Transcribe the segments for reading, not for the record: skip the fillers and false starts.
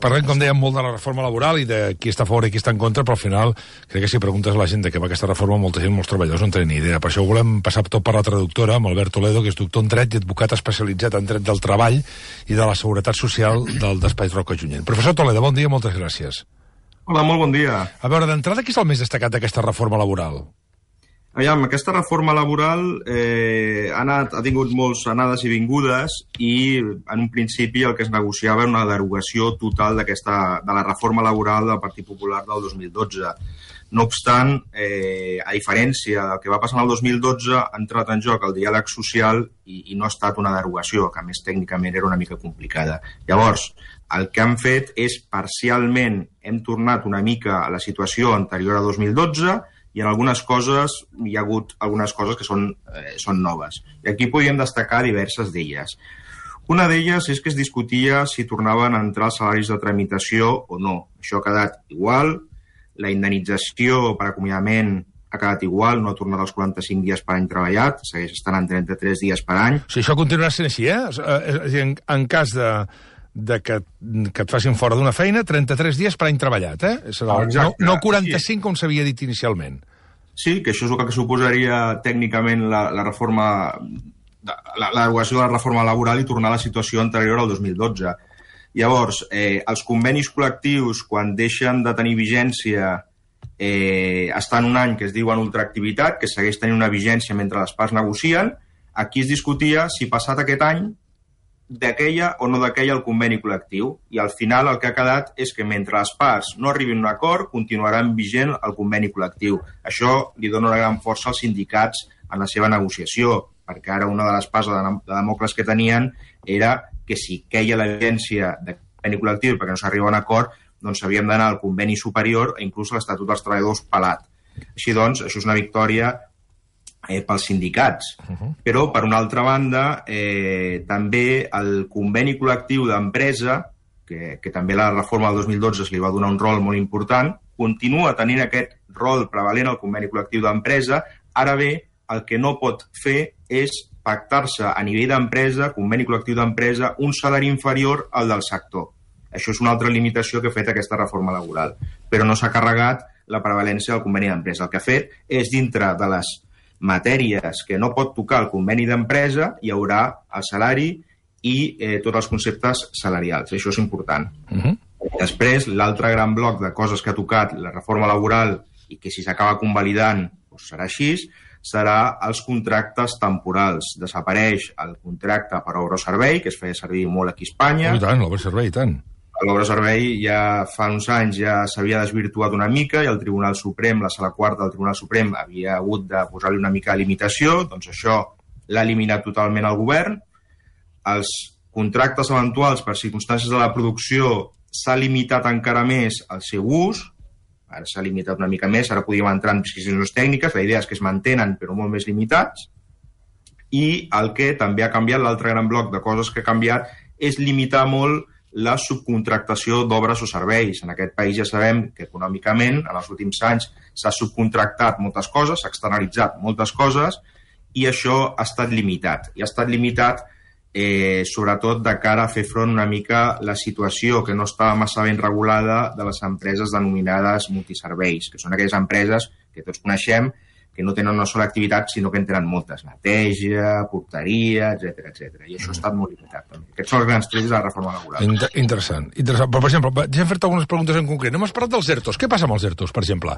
Parlem, com dèiem, molt de la reforma laboral i de qui està a favor i qui està en contra, però al final crec que si preguntes a la gent de què va aquesta reforma, molta gent, molts treballadors no en tenen ni idea. Per això volem passar tot per la traductora, amb Albert Toledo, que és doctor en dret i advocat especialitzat en dret del treball i de la seguretat social del despatx Roca Junyent. Professor Toledo, bon dia, moltes gràcies. Hola, molt bon dia. A veure, d'entrada, qui és el més destacat d'aquesta reforma laboral? Aviam, aquesta reforma laboral ha tingut moltes anades i vingudes i en un principi el que es negociava era una derogació total de la reforma laboral del Partit Popular del 2012. No obstant, a diferència del que va passar en el 2012, ha entrat en joc el diàleg social i no ha estat una derogació, que a més tècnicament era una mica complicada. Llavors, el que han fet és parcialment hem tornat una mica a la situació anterior a 2012 i en algunes coses hi ha hagut algunes coses que són noves. I aquí podríem destacar diverses d'elles. Una d'elles és que es discutia si tornaven a entrar els salaris de tramitació o no. Això ha quedat igual, la indemnització per acomiadament ha quedat igual, no ha tornat als 45 dies per any treballat, segueix estant en 33 dies per any. Sí, això continuarà sent així, eh? És a dir, en cas de que et facin fora d'una feina, 33 dies per any treballat, eh? No 45, sí, com s'havia dit inicialment. Sí, que això és el que suposaria tècnicament la derogació de la reforma laboral i tornar a la situació anterior al 2012. Llavors, els convenis col·lectius, quan deixen de tenir vigència, estan un any que es diuen ultraactivitat, que segueix tenint una vigència mentre les parts negocien. Aquí es discutia si passat aquest any d'aquella o no d'aquella el conveni col·lectiu, i al final el que ha quedat és que mentre les parts no arribin a un acord continuarà vigent el conveni col·lectiu. Això li dona una gran força als sindicats en la seva negociació, perquè ara una de les parts de Demòcrates que tenien era que si queia la vigència del conveni col·lectiu perquè no s'arriba a un acord, doncs havíem d'anar al conveni superior i inclús a l'Estatut dels Treballadors pelat. Així doncs, això és una victòria pels sindicats. Però, per una altra banda, també el conveni col·lectiu d'empresa, que també la reforma del 2012 se li va donar un rol molt important, continua tenint aquest rol prevalent al conveni col·lectiu d'empresa. Ara bé, el que no pot fer és pactar-se a nivell d'empresa, conveni col·lectiu d'empresa, un salari inferior al del sector. Això és una altra limitació que ha fet aquesta reforma laboral. Però no s'ha carregat la prevalència del conveni d'empresa. El que ha fet és, dintre de les matèries que no pot tocar el conveni d'empresa, hi haurà el salari i tots els conceptes salarials. Això és important. Després, l'altre gran bloc de coses que ha tocat la reforma laboral i que si s'acaba convalidant serà així, serà els contractes temporals. Desapareix el contracte per obra o servei, que es feia servir molt aquí a Espanya. I tant, l'obra o servei, i tant. L'obra servei ja fa uns anys ja s'havia desvirtuat una mica i el Tribunal Suprem, la Sala Quarta del Tribunal Suprem, havia hagut de posar-li una mica de limitació, doncs això l'ha eliminat totalment el govern. Els contractes eventuals per circumstàncies de la producció s'ha limitat encara més el seu ús, ara s'ha limitat una mica més, ara podríem entrar en prescripcions tècniques, la idea és que es mantenen però molt més limitats, i el que també ha canviat, l'altre gran bloc de coses que ha canviat, és limitar molt la subcontractació d'obres o serveis. En aquest país ja sabem que econòmicament en els últims anys s'ha subcontractat moltes coses, s'ha externalitzat moltes coses i això ha estat limitat. I ha estat limitat sobretot de cara a fer front una mica la situació que no estava massa ben regulada de les empreses denominades multiserveis, que són aquelles empreses que tots coneixem que no tenen una sola activitat, sinó que en tenen moltes. Neteja, porteria, etc. I això ha estat molt limitat. Aquests són els grans trets de la reforma laboral. Interessant. Però, per exemple, ja hem fet algunes preguntes en concret. No m'has parlat dels ERTOs. Què passa amb els ERTOs, per exemple?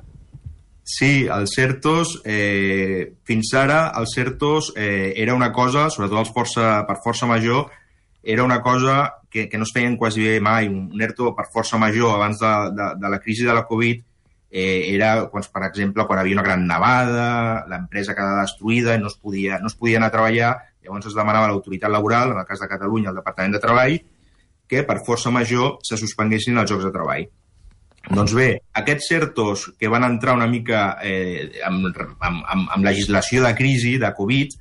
Sí, els ERTOs, fins ara, els ERTOs era una cosa, sobretot per força major, era una cosa que no es feien quasi bé mai. Un ERTO per força major abans de la crisi de la Covid era, per exemple, quan havia una gran nevada, l'empresa quedava destruïda i no es podia anar a treballar, llavors es demanava a l'autoritat laboral, en el cas de Catalunya, el Departament de Treball, que per força major se suspenguessin els llocs de treball. Doncs bé, aquests ERTOs que van entrar una mica amb legislació de crisi, de Covid,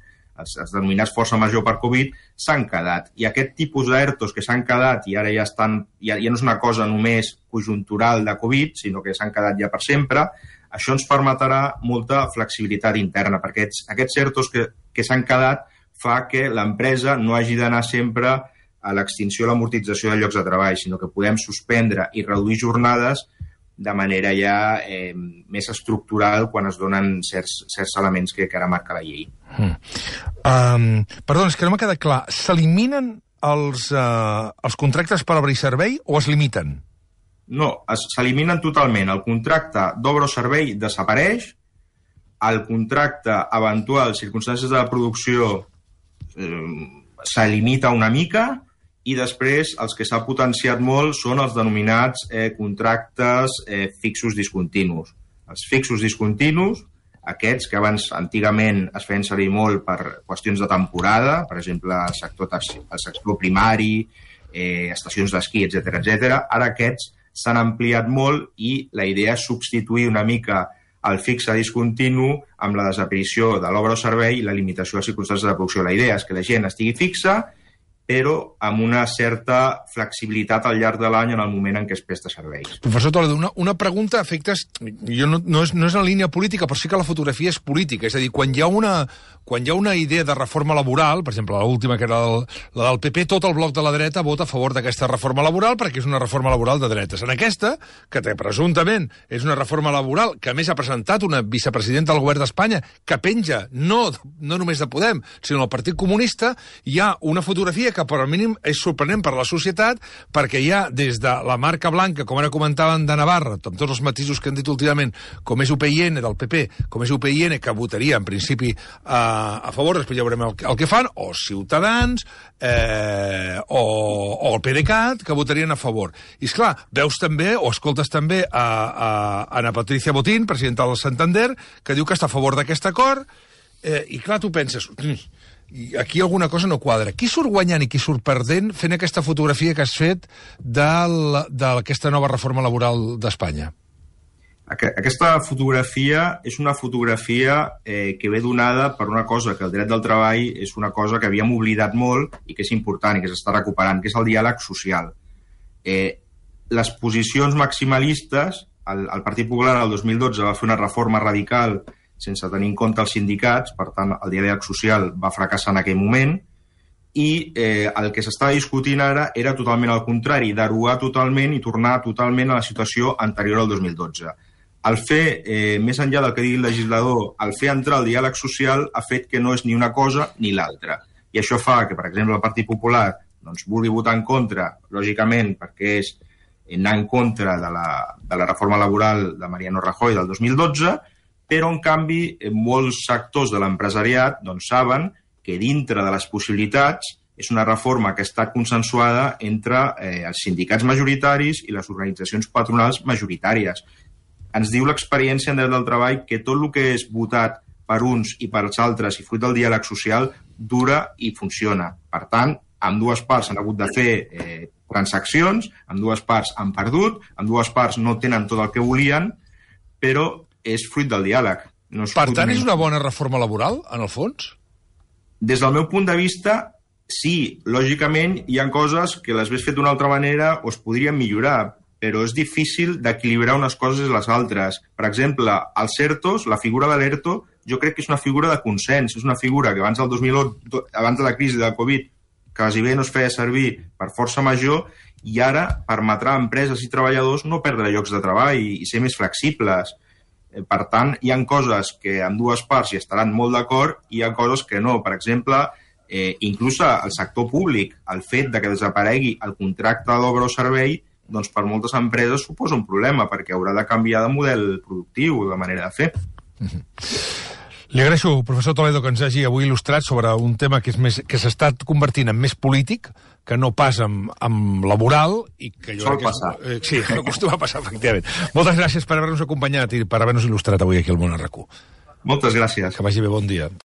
els denominats força major per Covid, s'han quedat. I aquest tipus d'ERTOs que s'han quedat i ara ja no és una cosa només conjuntural de Covid, sinó que s'han quedat ja per sempre, això ens permetrà molta flexibilitat interna, perquè aquests ERTOs que s'han quedat fa que l'empresa no hagi d'anar sempre a l'extinció o l'amortització de llocs de treball, sinó que podem suspendre i reduir jornades de manera ja més estructural quan es donen certs elements que ara marca la llei. Perdó, és que no m'ha quedat clar. S'eliminen els contractes per obra i servei o es limiten? No, s'eliminen totalment. El contracte d'obra o servei desapareix, el contracte eventual, circumstàncies de la producció, se limita una mica, i després els que s'ha potenciat molt són els denominats contractes fixos discontinus. Els fixos discontinus, aquests que abans antigament es feien servir molt per qüestions de temporada, per exemple el sector primari, estacions d'esquí, etc. Ara aquests s'han ampliat molt i la idea és substituir una mica el fixe discontinu amb la desaparició de l'obra o servei i la limitació de circumstàncies de producció. La idea és que la gent estigui fixa, però amb una certa flexibilitat al llarg de l'any en el moment en què es presta serveis. Professor Toledo, una pregunta a efectes... No és en línia política, però sí que la fotografia és política. És a dir, quan hi ha una idea de reforma laboral, per exemple, l'última que era la del PP, tot el bloc de la dreta vota a favor d'aquesta reforma laboral perquè és una reforma laboral de dretes. En aquesta, que presumptament és una reforma laboral que a més ha presentat una vicepresidenta del govern d'Espanya que penja no només de Podem, sinó del Partit Comunista, hi ha una fotografia que per al mínim és sorprenent per la societat perquè hi ha des de la marca blanca, com ara comentaven de Navarra, amb tots els matisos que han dit últimament, com és UPyN del PP, com és UPyN que votaria en principi a favor, després ja veurem el que fan, o Ciutadans, o el PDeCAT, que votarien a favor. I esclar, veus també, o escoltes també a Ana Patricia Botín, presidenta del Santander, que diu que està a favor d'aquest acord, i clar, tu penses... I aquí alguna cosa no quadra. Qui surt guanyant i qui surt perdent fent aquesta fotografia que has fet d'aquesta nova reforma laboral d'Espanya? Aquesta fotografia és una fotografia que ve donada per una cosa, que el dret del treball és una cosa que havíem oblidat molt i que és important i que s'està recuperant, que és el diàleg social. Les posicions maximalistes, el Partit Popular el 2012 va fer una reforma radical sense tenir en compte els sindicats, per tant, el diàleg social va fracassar en aquell moment, i el que s'estava discutint ara era totalment al contrari, derogar totalment i tornar totalment a la situació anterior al 2012. El fer, més enllà del que digui el legislador, el fer entrar el diàleg social ha fet que no és ni una cosa ni l'altra. I això fa que, per exemple, el Partit Popular vulgui votar en contra, lògicament, perquè és anar en contra de la reforma laboral de Mariano Rajoy del 2012, però, en canvi, molts sectors de l'empresariat saben que dintre de les possibilitats és una reforma que ha estat consensuada entre els sindicats majoritaris i les organitzacions patronals majoritàries. Ens diu l'experiència en dret del treball que tot el que és votat per uns i per els altres i fruit del diàleg social dura i funciona. Per tant, ambdues parts han hagut de fer transaccions, ambdues parts han perdut, ambdues parts no tenen tot el que volien, però és fruit del diàleg. Per tant, és una bona reforma laboral, en el fons? Des del meu punt de vista, sí. Lògicament, hi ha coses que les ves fet d'una altra manera o es podrien millorar, però és difícil d'equilibrar unes coses i les altres. Per exemple, els ERTOs, la figura de l'ERTO, jo crec que és una figura de consens. És una figura que abans del 2008, abans de la crisi de la Covid, quasi bé no es feia servir per força major, i ara permetrà a empreses i treballadors no perdre llocs de treball i ser més flexibles. Per tant, hi ha coses que amb dues parts hi estaran molt d'acord i hi ha coses que no. Per exemple, inclús al sector públic, el fet de que desaparegui el contracte d'obra o servei, per moltes empreses suposa un problema, perquè haurà de canviar de model productiu o de manera de fer. Li agraeixo, professor Toledo, que ens hagi avui il·lustrat sobre un tema que s'està convertint en més polític, que no pas amb laboral, i que jo crec que passar. Sí, acostuma a passar, efectivament. Moltes gràcies per haver-nos acompanyat i per haver-nos il·lustrat avui aquí al Món RQ. Moltes gràcies. Que vagi bé, bon dia.